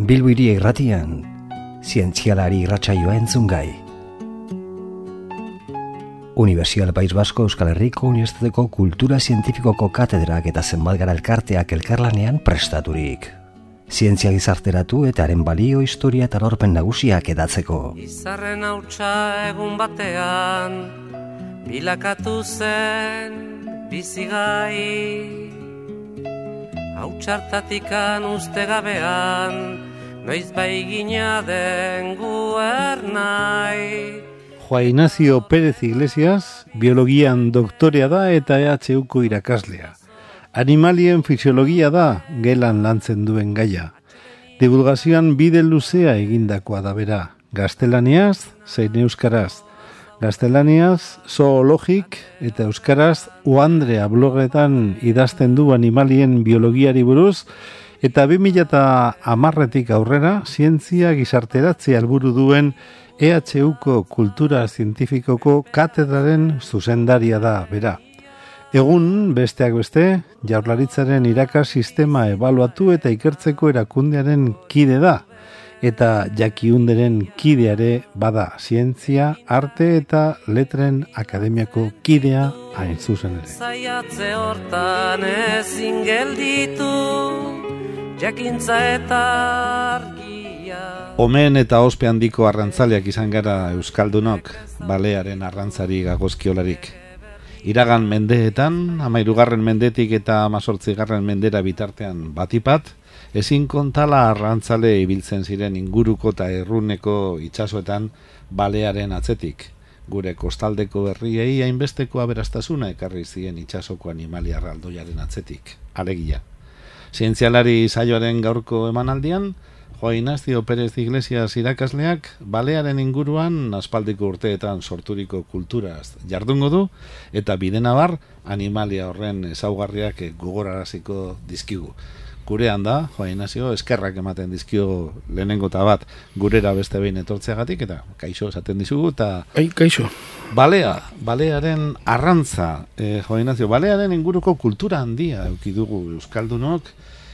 Bilbo Hiria Irratian, zientzialari irratsaioa entzungai. Unibertsitate País Basko Euskal Herriko Unibertsitateko Kultura Zientifikoko katedrak eta zenbat gara elkarteak elkarlanean prestaturik. Zientzia gizarteratu eta haren balio, historia eta lorpen nagusiak edatzeko. Izarren hautsa egun batean, bilakatu zen bizigai. Hautsartatikan uste gabean, noiz baigina den guernai. Juan Ignacio Pérez Iglesias, biologian doktorea da eta EHUko irakaslea. Animalien fisiologia da gelan lantzen duen gaia. Divulgazioan bide luzea egindakoa da bera, gaztelaniaz zein euskaraz. Gaztelaniaz zoologik eta euskaraz Uandrea blogetan idazten du animalien biologiari buruz, eta 2010 aurrera zientzia gizarteratzea helburu duen EHUko Kultura Zientifikoko katedraren zuzendaria da bera. Egun, besteak beste, Jaurlaritzaren irakas sistema ebaluatu eta ikertzeko erakundearen kide da, eta Jakiunderen kideare bada, zientzia, arte eta letren akademiako kidea hain zuzen ere. Zaiatze hortan ezin gelditu, jakintza eta argia. Omen eta ospe handiko arrantzaleak izan gara euskaldunok, balearen arrantzari gagozkiolarik. Iragan mendeetan, 13. mendetik eta 18. mendera bitartean batipat, ezin kontala arrantzale ibiltzen ziren inguruko eta erruneko itsasoetan balearen atzetik. Gure kostaldeko herriei hainbesteko aberastasuna ekarri zien itsasoko animalia erraldoiaren atzetik. Alegia. Zientzialari saioaren gaurko emanaldian, Juan Ignacio Pérez Iglesias irakasleak balearen inguruan aspaldiko urteetan sorturiko kulturaz jardungo du eta bidenabar animalia horren ezaugarriak gogoraraziko dizkigu. Gurean da, Juan Ignacio, eskerrak ematen dizkio lehenengo eta bat gurera beste behin etortzeagatik eta kaixo esaten dizugu eta... Kaixo. Balearen arrantza, Juan Ignacio, balearen inguruko kultura handia eukidugu euskaldunok,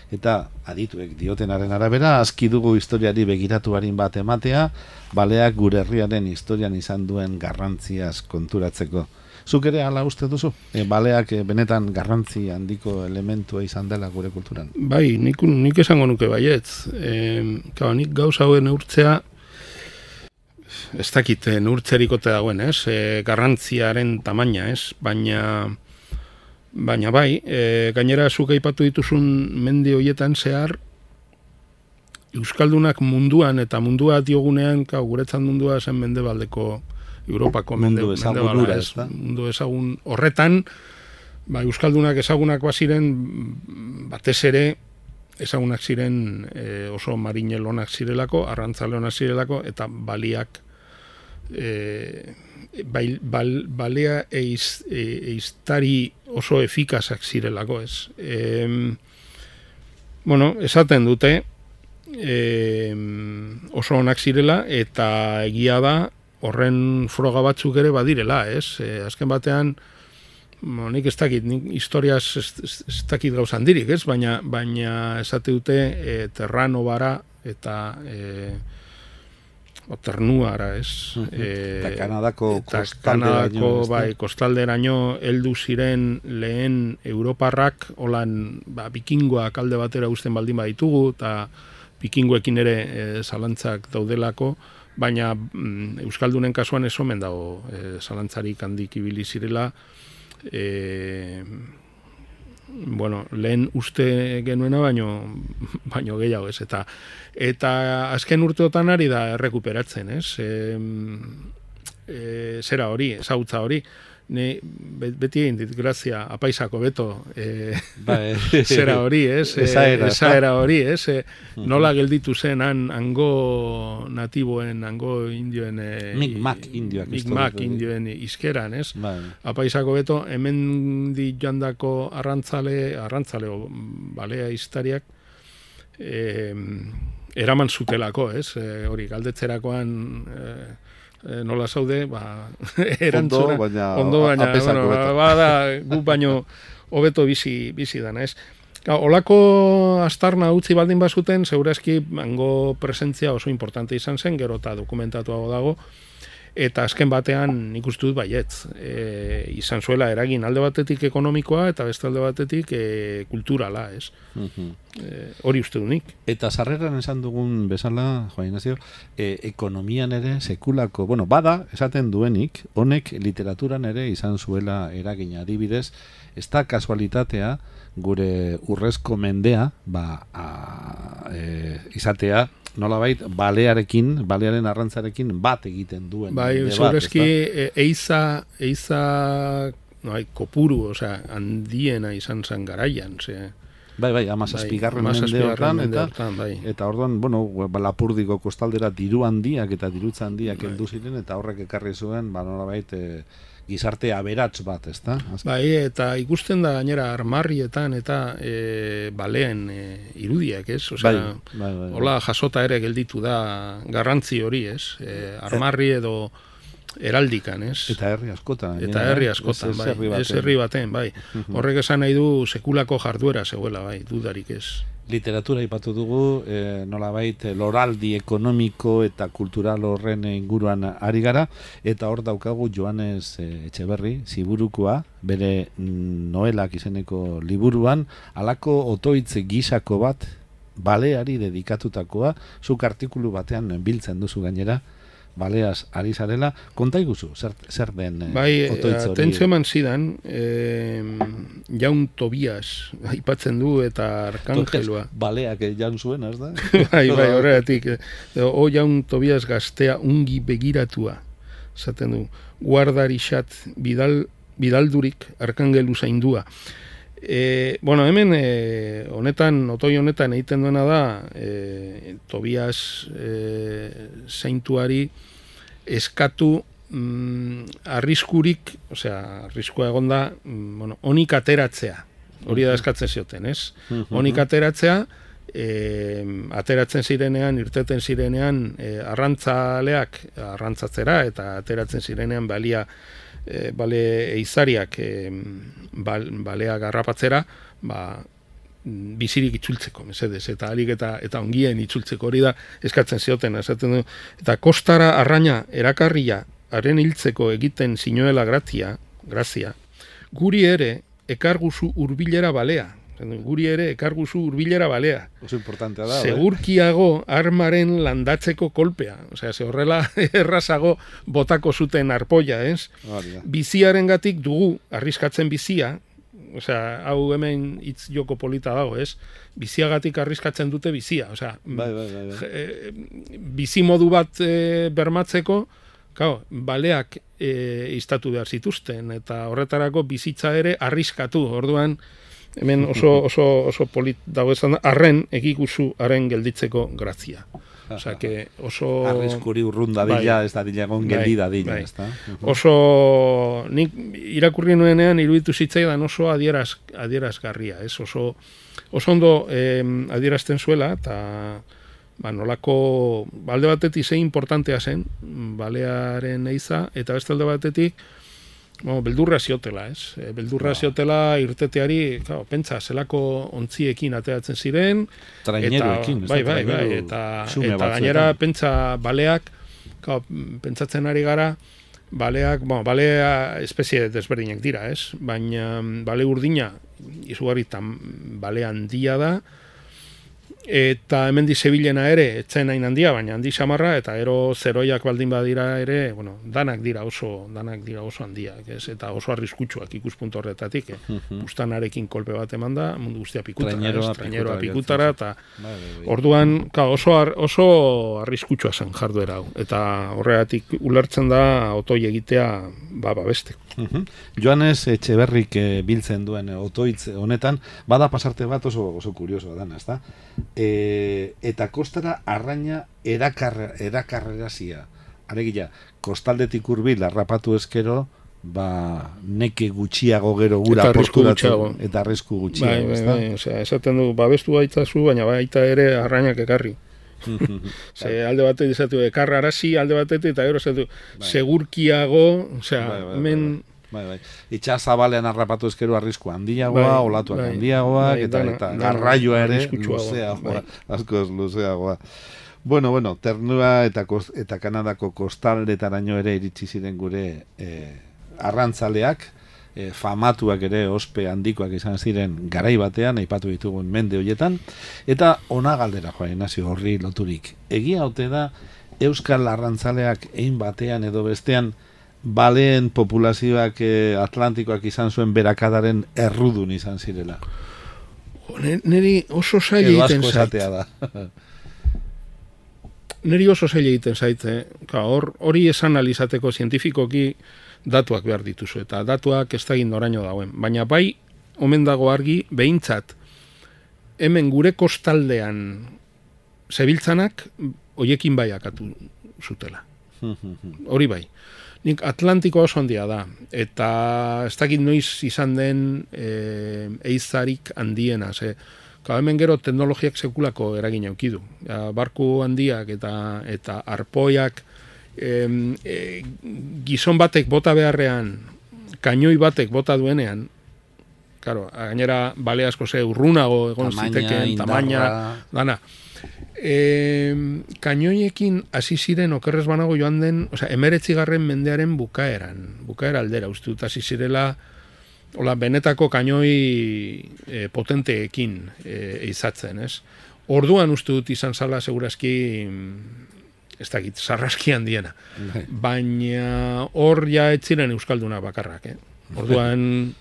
eta adituek diotenaren arabera, aski dugu historiari begiratu harin bat ematea, baleak gure herriaren historian izan duen garrantziaz konturatzeko. Zuk ere hala uste duzu? Baleak benetan garrantzi handiko elementua izan dela gure kulturan? Bai, nik esango nuke baietz. Nik gauza hauen neurtzea, ez dakit neurtzerikote dagoen, ez? Garrantziaren tamaina, ez? Baina bai, gainera zuk aipatu dituzun mendi hoietan zehar, euskaldunak munduan eta mundua diogunean, guretzat mundua zen mendebaldeko Europako mundu ezagun horretan, euskaldunak ezagunak baziren, batez ere ezagunak ziren oso marinelonak zirelako, arrantzaleonak zirelako, eta baliak balea eiztari oso efikazak zirelako, ez. Esaten dute oso onak zirela, eta egia da horren froga batzuk ere badirela, ez. Azken batean, nik ez dakit, nik historiaz ez dakit gauza handirik, ez, baina esate dute terrano bara eta ternuara, ez. Eta Kanadako kostalderaino heldu ziren lehen europarrak, holan bikingoak alde batera uzten baldin baditugu, eta bikingoekin ere zalantzak daudelako, baina euskaldunen kasuan ez omen dago zalantzarik handik ibili zirela, lehen uste genuena baino gehiago, ez, eta azken urteotan ari da errekuperatzen, ez, zera hori, ezagutza hori, beti egin dit, grazia, apaisako beto, zera hori, ez, esaera hori, ez, nola gelditu zen hango natiboen, hango indioen, Mi'kmaq indioen izkeran, ez, apaisako beto, hemen di joandako arrantzale balea iztariak, eraman zutelako, ez, hori, galdetzerakoan, nola zaude, erantzuna, ondo, baina, gu baino hobeto bizi dana, ez? Olako astarna utzi baldin bazuten, segurazki hango presentzia oso importante izan zen, gero eta dokumentatuago dago, eta azken batean nik uste dut baietz. Izan zuela eragin alde batetik ekonomikoa eta beste alde batetik kulturala, ez? Hori uste du nik. Eta sarreran esan dugun bezala, Juan Ignacio, ekonomian ere sekulako, bada, esaten duenik, honek literaturan ere izan zuela eragina, adibidez, ez da kasualitatea gure urrezko mendea izatea nolabait balearen arrantzarekin bat egiten duen. Bai, segurazki eiza kopuru, handiena izan zen garaian, Bai, 17. mendeotan, eta orduan, Lapurdiko kostaldera diru handiak eta dirutza handiak heldu ziren, eta horrek ekarri zuen, nolabait, gizarte aberats bat, ezta? Bai, eta ikusten da gainera armarrietan eta baleen irudiak, ez? Hola jasota ere gelditu da garrantzi hori, ez? Armarri edo heraldikan, ez? Eta herri askotan. Ez herri baten, bai. Horrek esan nahi du sekulako jarduera zegoela, bai, dudarik ez. Literatura ipatu dugu, nolabait loraldi ekonomiko eta kultural horren inguruan ari gara, eta hor daukagu Joanes Etxeberri, Ziburukoa, bere noelak izeneko liburuan, halako otoitz gisako bat, baleari dedikatutakoa, zuk artikulu batean biltzen duzu gainera, baleaz ari zarela, konta iguzu, zer den otoitz hori? Atentzio eman zidan, Jaun Tobias aipatzen du eta Arkangelua. Baleak jaun zuen, ez da? Bai, horregatik. Jaun Tobias gaztea ungi begiratua, zaten du, guardarixat bidaldurik Arkangelu zaindua. Hemen otoi honetan egiten duena da Tobias zaintuari eskatu arriskurik, arriskua egonda, onik ateratzea. Hori da eskatzen zioten, ez? Onik ateratzea, ateratzen zirenean, irteten zirenean, arrantzaleak arrantzatzera, eta ateratzen zirenean bale eizariak balea garrapatzera, bizirik itzultzeko, mesedez, eta alik eta ongien itzultzeko, hori da eskatzen zioten, esaten du, eta kostara arraina erakarria haren hiltzeko egiten zinuela grazia, guri ere ekarguzu hurbilera balea. Oso importantea da. Segurkiago armaren landatzeko kolpea. Ze horrela errazago botako zuten arpoia, ez? Biziarengatik dugu arriskatzen bizia, hau hemen hitz joko polita dago, ez? Biziagatik arriskatzen dute bizia. Bizi modu bat bermatzeko, baleak iztatu behar zituzten, eta horretarako bizitza ere arriskatu, orduan, hemen oso polit dago esan da, arren egikuzu haren gelditzeko grazia. Arriskuri urrun dadila, ez dadila egon geldi dadila. Oso, nik irakurri nuenean iruditu zitzaidan oso adierazgarria, ez? Oso ondo adierazten zuela, eta nolako alde batetik zein importantea zen, balearen eiza, eta beste alde batetik, beldurra ziotela, ez? Beldurra ziotela irteteari, pentsa, zelako ontziekin ateratzen ziren. Traineroekin. Bai, eta gainera, pentsa, baleak, pentsatzen ari gara, balea espezie desberdinak dira, ez? Baina bale urdina, izugarritan bale handia da, eta hemen Sevilena ere, etzen hain handia, baina handi samarra, eta ero zeroiak baldin badira ere, danak dira oso handiak, ez? Eta oso arriskutsuak ikuspuntu horretatik, bustanarekin kolpe bat eman da, mundu guztia pikutara, traineroa pikutara, eta orduan, oso arriskutsua zen jarduera hau, eta horregatik ulertzen da otoi egitea beste. Joanes Etxeberrik biltzen duen otoitz honetan, bada pasarte bat oso kuriosoa dana, ezta? Eta kostara arraina erakarrerazia. Alegia, kostaldetik hurbil harrapatu ezkero, neke gutxiago gero gura porturatzen, eta arrisku gutxiago, ezta? Bai, esaten du, babestu baitzazu, baina baita ere arrainak ekarri. Alde batetik izatu ekarrarazi, alde batetik, eta gero segurkiago, hemen Bai. Itxas zabalean harrapatu ezkero arrisku handiagoa, olatuak handiagoak, eta garraioa ere luzeagoa, askoz luzeagoa. Bueno, Ternura eta Kanadako kostaldetaraino ere iritsi ziren gure arrantzaleak, famatuak ere ospe handikoak izan ziren garai batean, aipatu ditugun mende horietan, eta ona galdera joan Ignacio horri loturik. Egia ote da Euskal arrantzaleak ein batean edo bestean baleen populazioak atlantikoak izan zuen berakadaren errudun izan zirela. Neri oso zaila egiten zait. Neri oso zaila egiten zait. Hori esan alizateko zientifikoki datuak behar dituzu, eta datuak ez da noraino dagoen. Baina bai, omen dago argi, behintzat, hemen gure kostaldean zebiltzanak, hoiekin baiakatu zutela. Hori bai. Nik Atlantikoa oso handia da, eta ez dakit noiz izan den eizarik handiena, hemen gero teknologiak sekulako eragin eukidu. Barku handiak eta arpoiak gizon batek bota beharrean, kainoi batek bota duenean, claro, gainera bale asko urrunago egon ziteken, tamaina, dana. Kainoiekin hasi ziren okerrez banago joan den, 19. mendearen bukaera aldera, uste dut hasi zirela benetako kainoi potenteekin eizatzen, ez? Orduan uste dut izan zala segurazki ez dakit, sarraski handiena. Baina hor ja ez ziren euskalduna bakarrak, Orduan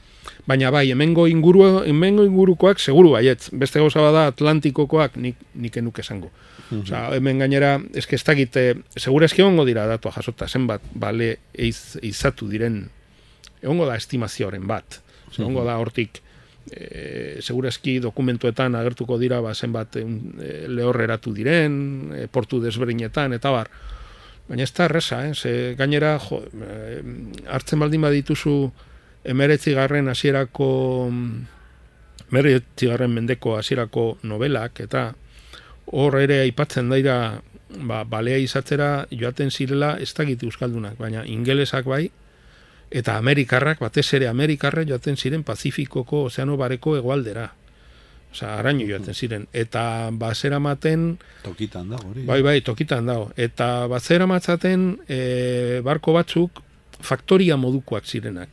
baina bai, hemengo ingurukoak seguru baietz. Beste gauza bada Atlantikokoak nik enuk esango. Hemen gainera, ez dakit, segurazki egongo dira datua jasota, zenbat bale eizatu diren, egongo da estimazioaren bat. Egongo da hortik, segurazki dokumentuetan agertuko dira zenbat lehorreratu diren, portu desberdinetan, eta bar. Baina ez da erresa, gainera, hartzen baldin badituzu 19. mendeko hasierako novelak, eta hor ere aipatzen daira balea izatzera joaten zirela ez dakit euskaldunak, baina ingelesak bai, eta amerikarrak, batez ere amerikarrak joaten ziren Pazifikoko ozeano bareko hegoaldera. Araño joaten ziren. Eta bazera maten... Tokitan dago, hori. Bai, tokitan dago. Eta bazera matzaten barko batzuk faktoria modukoak zirenak.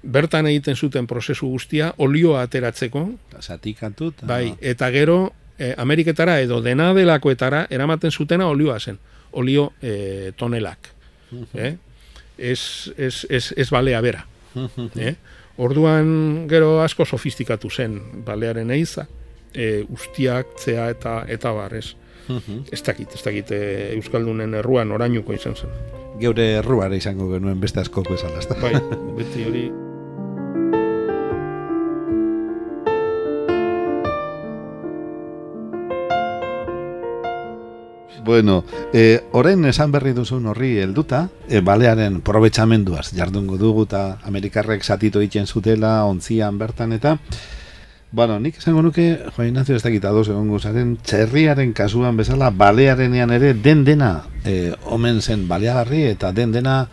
Bertan egiten zuten prozesu guztia, olioa ateratzeko. Zatikatu. Bai, eta gero, Ameriketara edo dena delakoetara eramaten zutena olioa zen. Olio tonelak. Ez balea bera. Orduan gero asko sofistikatu zen balearen eiza, ustiak, zea eta bar, ez. Ez dakit euskaldunen erruan orainuko izan zen. Geure erruare izango genuen beste askoko esan, ez da? Bai, beti hori... Bueno, orain esan berri duzun horri helduta, balearen probetxamenduaz jardungo dugu eta Amerikarrek zatito egiten zutela, ontzian bertan eta bueno, nik esango nuke, Juan Ignacio ez dakit ados egongo zaren, txerriaren kasuan bezala, balearenean ere dena omen zen baleagarri eta dena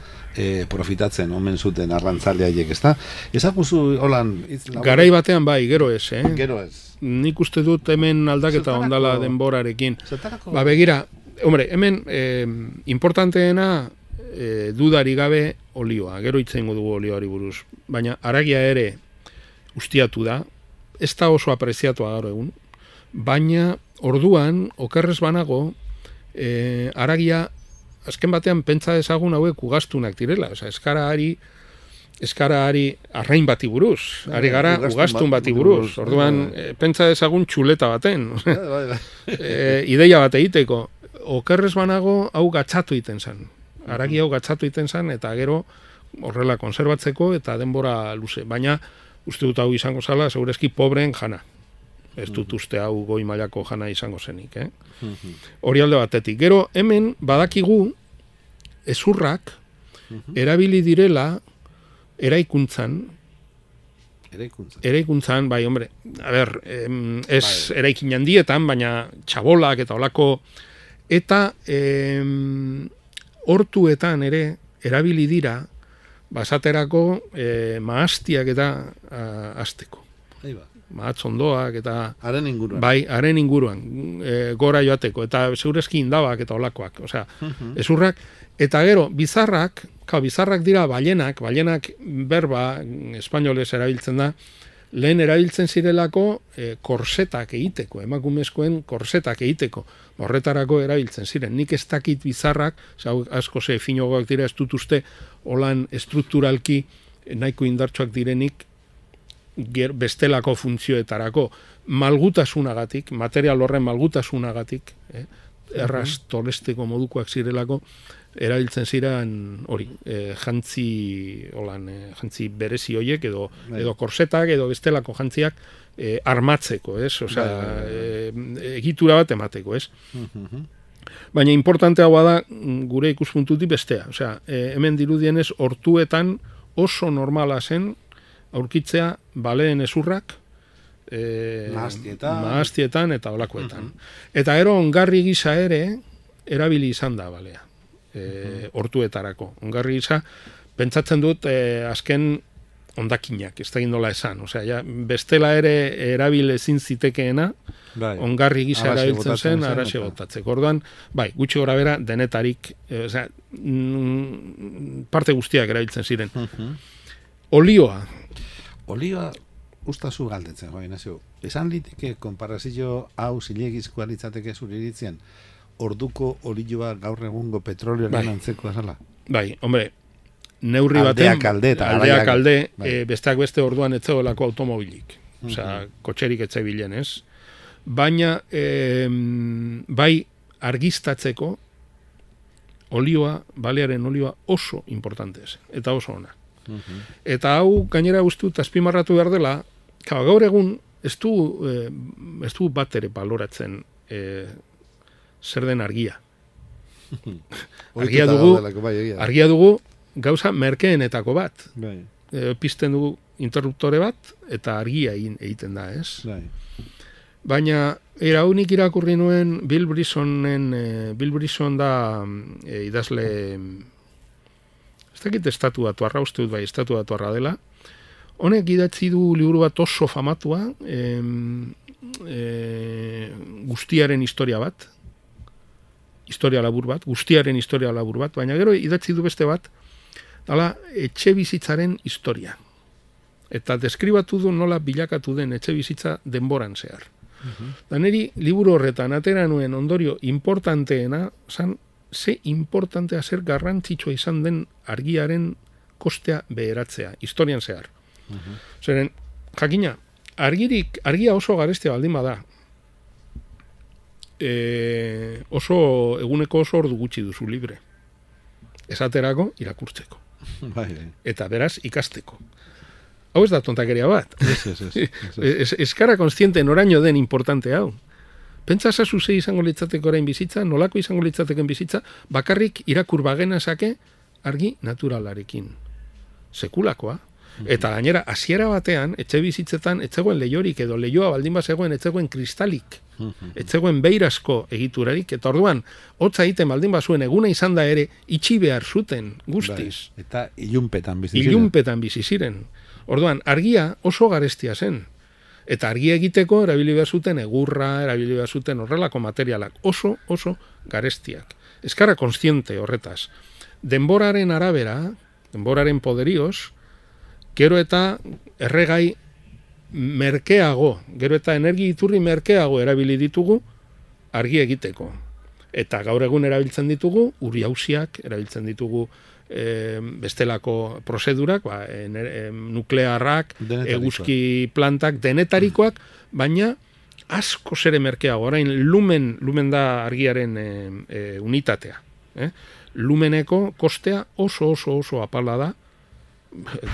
profitatzen omen zuten arrantzalea haiek, ezta? Ezaguzu holan... Garai batean bai, gero ez, Gero ez. Nik uste dut hemen aldaketa ondala denborarekin. Begira, hombre, hemen importanteena dudari gabe olioa, gero itzengo dugu olioari buruz, baina haragia ere ustiatu da, ez da oso apreziatua gaur egun, baina orduan, okerrez banago, haragia, azken batean pentsa dezagun hauek ugaztunak direla, eskara arrain bati buruz, ari gara ugaztun bati buruz, orduan pentsa dezagun txuleta baten, ideia bat egiteko, okerrez banago hau gatzatu iten zen, haragia hau gatzatu iten zen, eta gero horrela konserbatzeko eta denbora luze, baina uste dut hau izango zala, segurezki pobreen jana. Ez dut uste hau goi mailako jana izango zenik, Hori alde batetik. Gero, hemen badakigu ezurrak erabili direla eraikuntzan, bai, hombre, ez eraikin handietan, baina txabolak eta olako, eta hortuetan ere erabili dira basaterako mahastiak eta azteko. Mahatzondoak eta... Haren inguruan. Bai, haren inguruan, gora joateko, eta zeurezki indabak eta olakoak, osea, ezurrak, eta gero, bizarrak dira balenak berba, espainolez erabiltzen da, lehen erabiltzen zirelako korsetak egiteko, emakumezkoen korsetak egiteko, horretarako erabiltzen ziren. Nik ez dakit bizarrak, asko ze finogoak dira, ez dut uste, holan estrukturalki nahiko indartsuak direnik, bestelako funtzioetarako, malgutasunagatik, material horren malgutasunagatik, erraz tolesteko modukoak zirelako, erabiltzen ziren hori, jantzi berezi hoiek, edo korsetak, edo bestelako jantziak armatzeko, ez? Osea, egitura bat emateko, ez? Baina importanteagoa da gure ikuspuntutik bestea. Osea, hemen dirudienez hortuetan oso normala zen aurkitzea baleen ezurrak mahastietan eta olakoetan. Eta gero ongarri gisa ere erabili izan da balea. Hortuetarako. Ongarri gisa, pentsatzen dut azken ondakinak, ez da gindola esan. Osea, ja, bestela ere erabil ezin zitekeena, ongarri gisa erabiltzen zen, araxe botatzeko. Orduan, bai, gutxi gora bera, denetarik, osea, parte guztiak erabiltzen ziren. Olioa, ustazu galdetzen, esan liteke konparazio hau zilegizkoa litzateke zure iritzien, orduko olioa gaur egungo petrolioaren antzeko azala? Bai, hombre, neurri baten, aldeak alde, besteak beste orduan etzegoelako automobilik, osea, kotxerik etzebilen, ez? Baina, bai, argiztatzeko olioa, balearen olioa oso importante zen, eta oso ona. Eta hau gainera guztut azpimarratu behar dela, gaur egun ez du bat ere baloratzen zer den argia. Argia dugu gauza merkeenetako bat. Pizten dugu interruptore bat eta argia egiten da, ez? Baina eraunik irakurri nuen Bill Brisson da idazle, ez dakit estatuatuarra, uste dut bai estatuatuarra dela, honek idatzi du liburu bat oso famatua, guztiaren historia bat, guztiaren historia labur bat, baina gero idatzi du beste bat, dala etxe bizitzaren historia. Eta deskribatu du nola bilakatu den etxe bizitza denboran zehar. Da niri liburu horretan atera nuen ondorio importanteena, zan, ze importantea, zer garrantzitsua izan den argiaren kostea beheratzea, historian zehar. Zeren, jakina, argia oso garestia baldin bada, eguneko oso ordu gutxi duzu libre. Esaterako, irakurtzeko. Eta beraz, ikasteko. Hau ez da tontakeria bat. Ez kara konstiente noraino den importante hau. Pentsa zazu ze izango litzateko orain bizitza, nolako izango litzateken bizitza, bakarrik irakur bagenazake argi naturalarekin. Sekulakoa. Eta gainera, hasiera batean, etxe bizitzetan, etzegoen leiorik edo leioa baldin bazegoen, etzegoen kristalik, etzegoen beirazko egiturarik, eta orduan, hotza egiten baldin bazuen eguna izan da ere, itxi behar zuten guztiz. Eta ilunpetan bizi ziren. Orduan, argia oso garestia zen. Eta argia egiteko erabili behar zuten egurra, erabili behar zuten horrelako materialak. Oso garestiak. Ez kara konstiente horretaz. Denboraren arabera, denboraren poderioz, gero eta erregai merkeago, gero eta energi iturri merkeago erabili ditugu argi egiteko. Eta gaur egun erabiltzen ditugu, uri hausiak, erabiltzen ditugu bestelako prozedurak, nuklearrak, eguzki plantak, denetarikoak, baina asko zere merkeago. Orain lumen da argiaren unitatea. Lumeneko kostea oso apala da,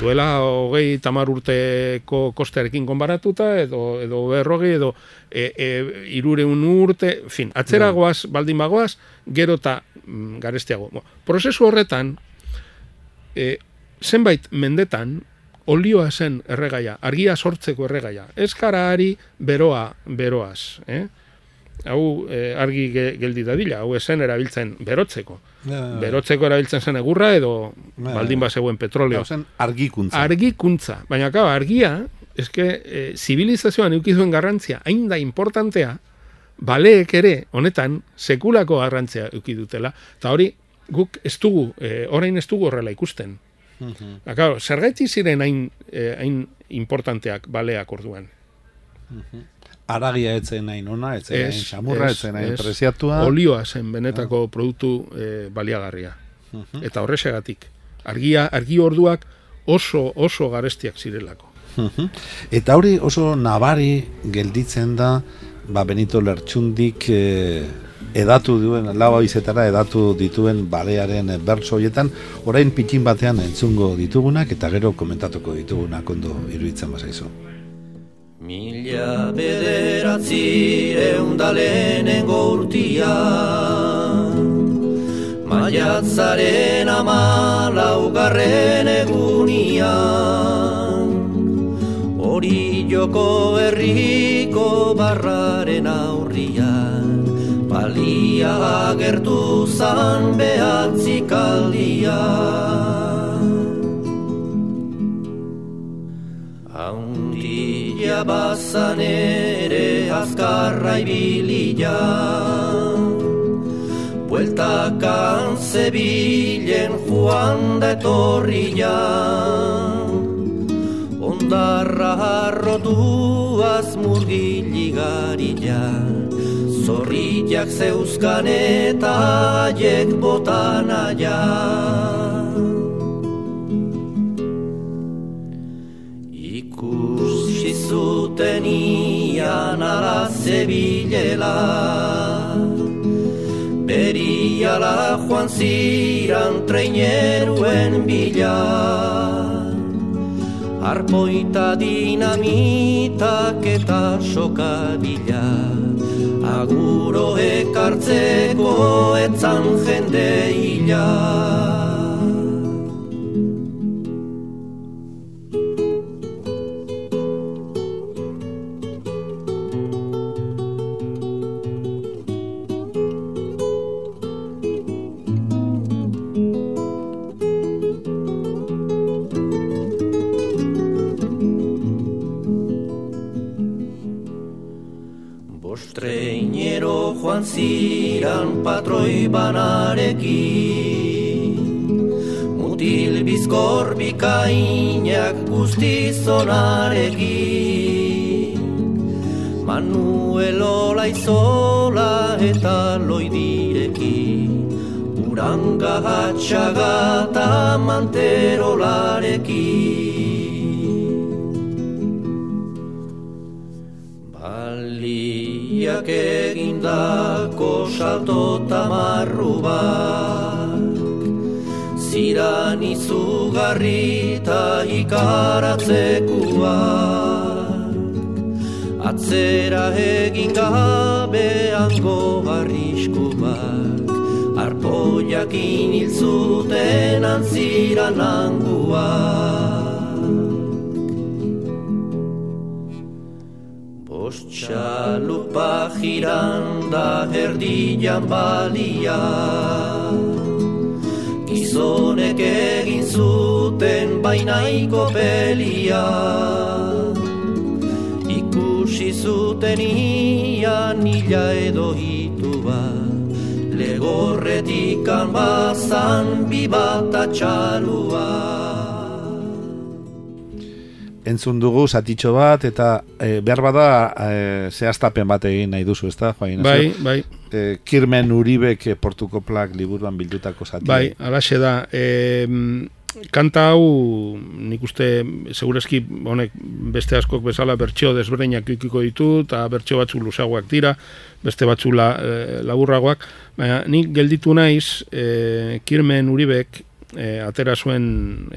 duela 30 urteko kostearekin konbaratuta, edo 40, edo 300 urte, fin, atzeragoaz, baldin bagoaz, gero eta garestiago. Prozesu horretan, zenbait mendetan, olioa zen erregaia, argia sortzeko erregaia. Ez gara ari beroaz. argi geldi dadila, hau esen erabiltzen berotzeko. Berotzeko erabiltzen zen egurra edo baldin bazegoen petroleo. Argikuntza. Argikuntza. Baina, argia, eske, zibilizazioan eukizuen garrantzia, hain da importantea, baleek ere, honetan, sekulako garrantzia eukidutela, eta hori, guk ez dugu, orain ez dugu horrela ikusten. Zergaiti ziren hain importanteak baleak orduan. Aragia etzen nahi nona, etzen nahi xamurra, etzen nahi preziatua. Olioa zen benetako produktu baliagarria. Eta horrexegatik. Argi orduak oso garestiak zirelako. Eta hori oso nabari gelditzen da, Benito Lertxundik edatu duen, lau izetara edatu dituen balearen bertso horietan, orain pitxin batean entzungo ditugunak eta gero komentatuko ditugunak ondo iruditzen bazaizu. 1909 lehenengo urtia, maiatzaren 14 egunia, Orilloko herriko barraren aurrian, balia agertu zan behatzikaldia. Haundila bazan ere azkarra ibilia, bueltakan zebilen joan da etorria, ondarra harrotuaz murgiligarila, zorriak zeuzkan eta haiek botan aia. Ikusi zuten ian ala zebilela, beriala joan ziran treineruen bila, arpoita dinamitak eta sokabila, aguro ekartzeko etzan jende hila. Treinero joan ziran patroi banarekin, mutil bizkor bikainak guztizonarekin, Manuel Olaizola eta Loidirekin, Uranga Hatxaga eta Manterolarekin. Baliak egindako salto tamarru bat, ziran izugarri eta ikaratzekuak, atzera egin gabe hango arriskuak, arpoiakin hil zuten antziran hanguak. Txalupa jiran da erdian balia, gizonek egin zuten bainaiko pelia, ikusi zuten ian hila edo hitu bat, legorretikan bazan bibata txalua. Entzun dugu zatitxo bat, eta behar bada zehaztapen bat egin nahi duzu, ezta, Joain? Bai. Kirmen Uribek Portuko Plak liburuan bildutako zati. Bai, alaxe da. Kanta hau, nik uste, segurazki, honek, beste askok bezala bertxeo desberdinak ikiko ditu, eta bertxeo batzu luzagoak dira, beste batzu laburragoak. Baina, nik gelditu naiz, Kirmen Uribek, atera zuen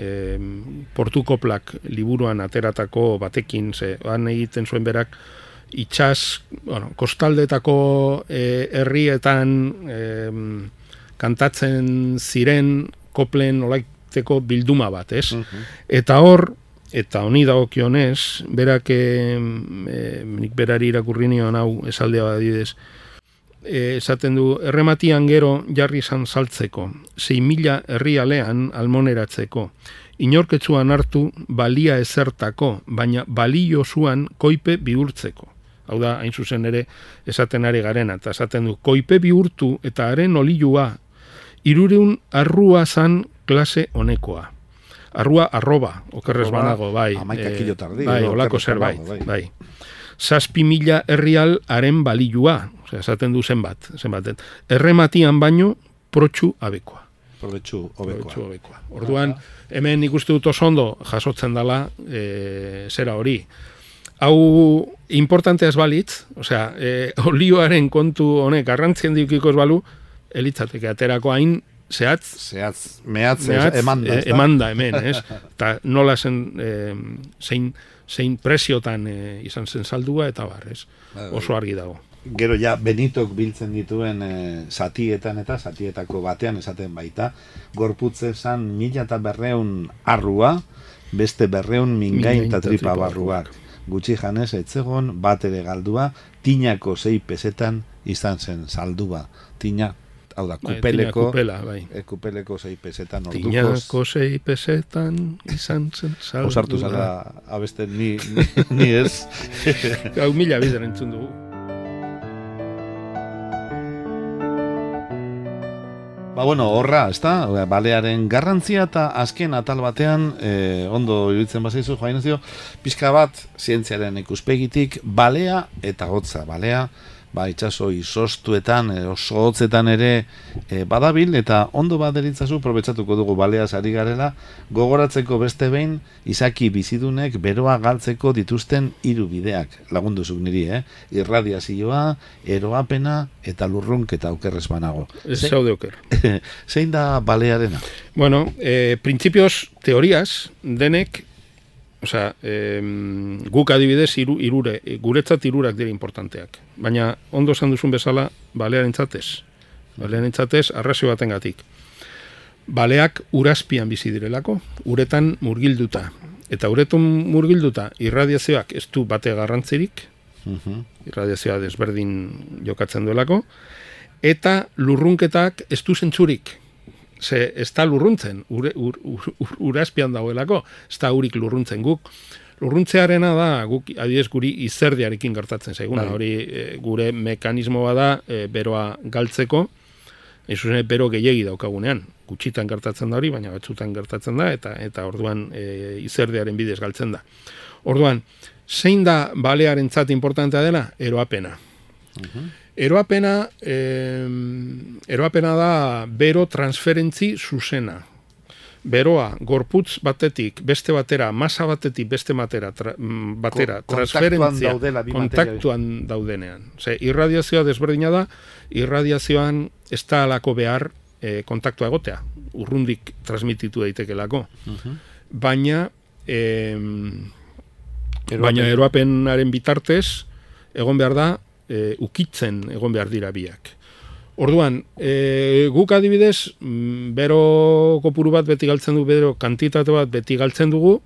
Portuko Plak liburuan ateratako batekin, han egiten zuen berak kostaldetako herrietan kantatzen ziren koplen olaiteko bilduma bat, ez? Eta hor, eta honi dagokionez, berak nik berari irakurri nion hau esaldea badidez, esaten du, errematian gero jarri izan saltzeko, 6.000 herrialean almoneratzeko, inorketzuan hartu balia ezertako, baina balio zuan koipe bihurtzeko. Hau da, hain zuzen ere, esaten ari garena, eta esaten du, koipe bihurtu eta haren olilua, 300 arrua zan klase honekoa. Arrua arroba, okerrez banago, bai. 11 kilo tardi. Bai, olako zerbait, bai. 7.000 herrial haren balilua, osea, esaten du zenbat. Errematian baino, protxu abekoa. Probetxu hobekoa. Orduan, hemen ikuste dut oso ondo jasotzen dela zera hori. Hau importantea ez balitz, osea, olioaren kontu honek garrantzien diukiko ez balu, elitzateke aterako hain zehatz, mehatz emanda. Emanda hemen, ez? Eta nola zein presiotan izan zen saldua, eta bar, ez? Oso argi dago. Gero ja Benitok biltzen dituen zatietan eta zatietako batean esaten baita, gorputze zan 1.200 arrua, beste 200 mingain eta tripa barruak. Gutxi janez etzegon, bat ere galdua, tinako 6 pesetan izan zen saldua. Tina, hau da, kupeleko 6 pesetan ordukoz. Tinako 6 pesetan izan zen saldua. Osartu zara abeste ni ez. Hau 1000 bider entzun dugu. Horra, ezta? Balearen garrantzia eta azken atal batean, ondo iruditzen bazaizu, Joan Ignacio, pixka bat, zientziaren ikuspegitik, balea eta hotza. Balea, itxaso izostuetan, oso hotzetan ere badabil, eta ondo baderitzazu, probetxatuko dugu baleaz ari garela, gogoratzeko beste behin, izaki bizidunek beroa galtzeko dituzten 3 bideak, lagunduzuk niri, irradiazioa, eroapena eta lurrunketa okerrez banago. Zaude oker. Zein da balearena? Bueno, principios, teorias, denek, osea, guk adibidez guretzat 3 dira importanteak. Baina, ondo esan duzun bezala, balearentzatez. Balearentzatez, arrazio batengatik. Baleak urazpian bizi direlako, uretan murgilduta. Eta uretan murgilduta, irradiazioak ez du bate garrantzirik, irradiazioa desberdin jokatzen duelako, eta lurrunketak ez du zentzurik. Ze ez da lurruntzen, urazpian dagoelako, ez da urik lurruntzen guk. Lurruntzearena da, guk adibidez guri izerdiarekin gertatzen zaiguna, hori gure mekanismoa da beroa galtzeko, zuzen bero gehiegi daukagunean, gutxitan gertatzen da hori, baina batzutan gertatzen da, eta orduan izerdiaren bidez galtzen da. Orduan, zein da balearentzat importantea dela? Eroapena. Eroapena da bero transferentzi zuzena. Beroa, gorputz batetik, beste batera, masa batetik, beste batera, transferentzia, kontaktuan daudenean. Irradiazioa desberdina da, irradiazioan ez da alako behar kontaktua egotea, urrundik transmititu daitekelako. Baina eroapenaren bitartez, egon behar da, ukitzen egon behar dira biak. Orduan, guk adibidez, bero kopuru bat beti galtzen dugu, bero kantitate bat beti galtzen dugu,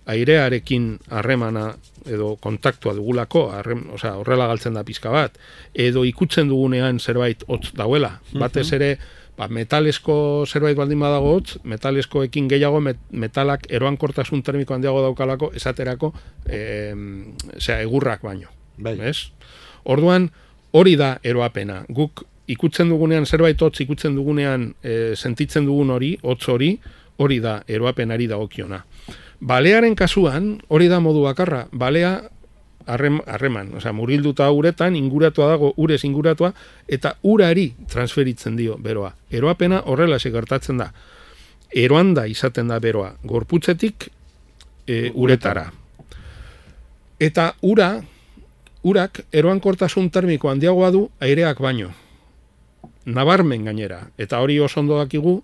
airearekin harremana edo kontaktua dugulako, horrela galtzen da pizka bat, edo ikutzen dugunean zerbait hotz dauela. Batez ere, metalesko zerbait baldin badago hotz, metaleskoekin gehiago metalak eroankortasun termiko handiago daukalako, esaterako egurrak baino. Orduan, hori da eroapena. Guk ikutzen dugunean, zerbait hotz ikutzen dugunean sentitzen dugun hori, hotz hori da eroapenari dagokiona. Balearen kasuan, hori da modu bakarra, balea harreman, murgilduta uretan, inguratua dago, urez inguratua, eta urari transferitzen dio beroa. Eroapena horrela gertatzen da. Eroanda izaten da beroa, gorputzetik uretara. Eta urak eroankortasun termiko handiagoa du aireak baino. Nabarmen gainera, eta hori oso ondo dakigu,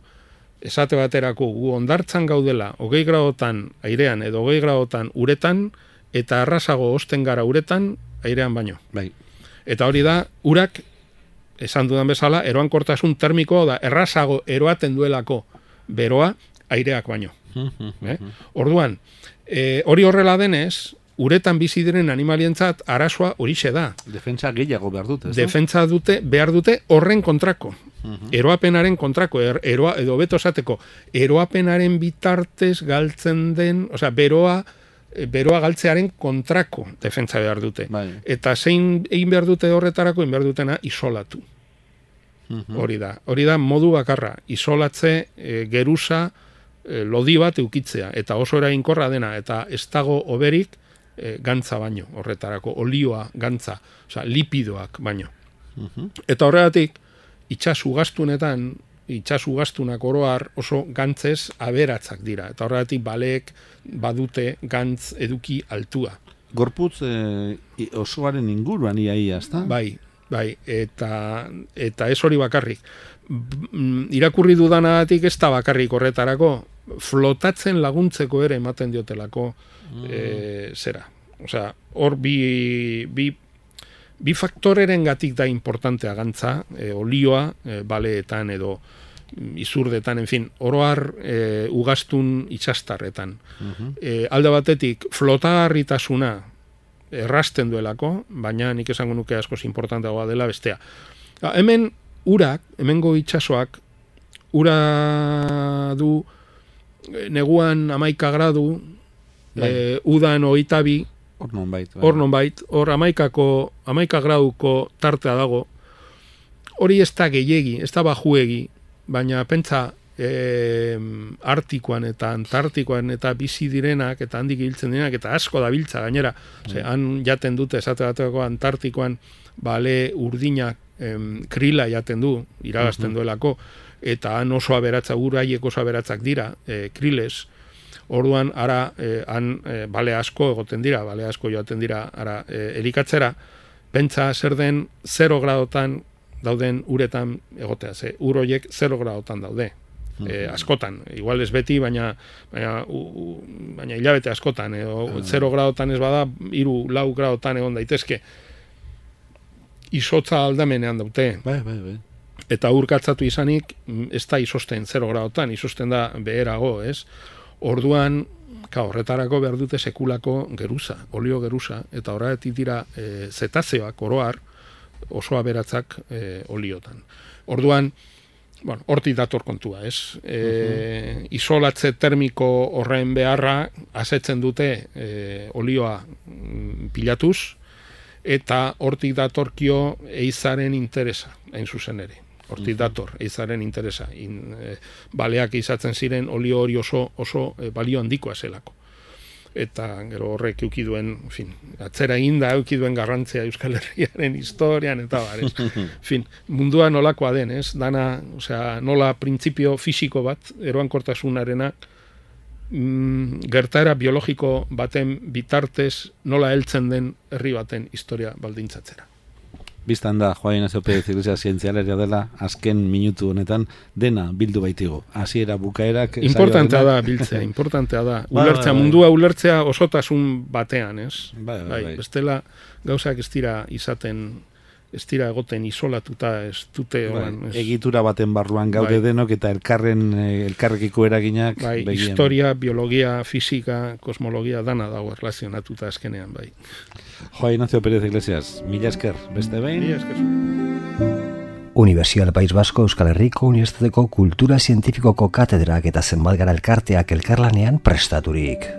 esate baterako gu hondartzan gaudela 20 gradotan airean edo 20 gradotan uretan, eta arrasago osten gara uretan airean baino. Eta hori da, urak, esan dudan bezala, eroankortasun termiko da, errasago eroaten duelako beroa aireak baino. Orduan, hori horrela denez, uretan bizi diren animalientzat arazoa horixe da. Defentsa gehiago behar dute, ez da? Defentsa behar dute horren kontrako. Eroapenaren kontrako, edo beto esateko, eroapenaren bitartez galtzen den, osea, beroa galtzearen kontrako defentsa behar dute. Bai. Eta zein egin behar dute horretarako, egin behar dutena isolatu. Hori da modu bakarra, isolatze geruza lodi bat eukitzea, eta oso eraginkorra dena, eta ez dago oberik gantza baino, horretarako, olioa gantza, osea, lipidoak baino. Eta horregatik, itxasugastunak oroar oso gantzez aberatzak dira, eta horregatik baleek badute gantz eduki altua. Gorputz osoaren inguruan iaia, ezta? Bai, eta ez hori bakarrik. Irakurri dudanagatik ez da bakarrik horretarako, flotatzen laguntzeko ere ematen diotelako zera. Osea, hor bi faktoreren gatik da importantea gantza, olioa, baleetan edo izurdetan, en fin, oroar ugastun itxastarretan. Alde batetik, flotagarritasuna errasten duelako, baina nik esango nuke askoz importanteagoa dela bestea. Hemengo itxasoak, ura du neguan 11 gradu, udan 22, hor nonbait, hor 11 graduko tartea dago, hori ez da gehiegi, ez da bajuegi, baina pentsa Artikoan eta Antartikoan eta bizi direnak eta handik hiltzen direnak eta asko da biltza gainera, han jaten dute esate bateko Antartikoan bale urdinak krila jaten du, iragazten duelako, eta han oso aberatza, uraiek oso aberatzak dira, kriles. Orduan, ara, han bale asko egoten dira, bale asko joaten dira, ara, elikatzera, pentsa zer den 0 gradotan dauden uretan egotea, ur horiek 0 gradotan daude. Askotan, igual ez beti, baina hilabete askotan, 0 gradotan ez bada, 3-4 gradotan egon daitezke. Izotza aldamenean daute. Bai. Eta urkatzatu izanik, ez da izosten 0 gradotan, izosten da beherago, ez? Orduan, horretarako behar dute sekulako geruza, olio geruza, eta horretik dira zetazeoak, oroar, oso aberatzak oliotan. Orduan, hortik dator kontua, ez? Isolatze termiko horren beharra asetzen dute olioa pilatuz, eta hortik datorkio eizaren interesa, hain zuzen ere. Hortik dator, eizaren interesa. Baleak izatzen ziren olio hori oso balio handikoa zelako. Eta gero horrek eukiduen, atzera eginda eukiduen garrantzia Euskal Herriaren historian, eta mundua nolakoa den, ez? Dana, nola printzipio fisiko bat, eroankortasunarena, gertaera biologiko baten bitartez nola heltzen den herri baten historia baldintzatzera. Bistan da, Joan Ignacio Pérez Iglesias zientzialaria dela, azken minutu honetan dena bildu baitigu. Hasiera bukaerak... Importantea da, biltzea, importantea da. Ulertzea, mundua ulertzea osotasun batean, ez? Bai. Bestela gauzak ez dira izaten, ez dira egoten isolatuta, ez dute... Egitura baten barruan gaude denok eta elkarrekiko eraginak... Historia, biologia, fisika, kosmologia, dana dago erlazionatuta azkenean, bai. Joan Ignacio Pérez Iglesias, mila esker, beste behin. Mila esker. Universidad País Vasco Euskal Herriko Unibertsitateko Kultura Zientifikoko katedrak eta zenbat gara elkarteak elkarlanean prestaturik.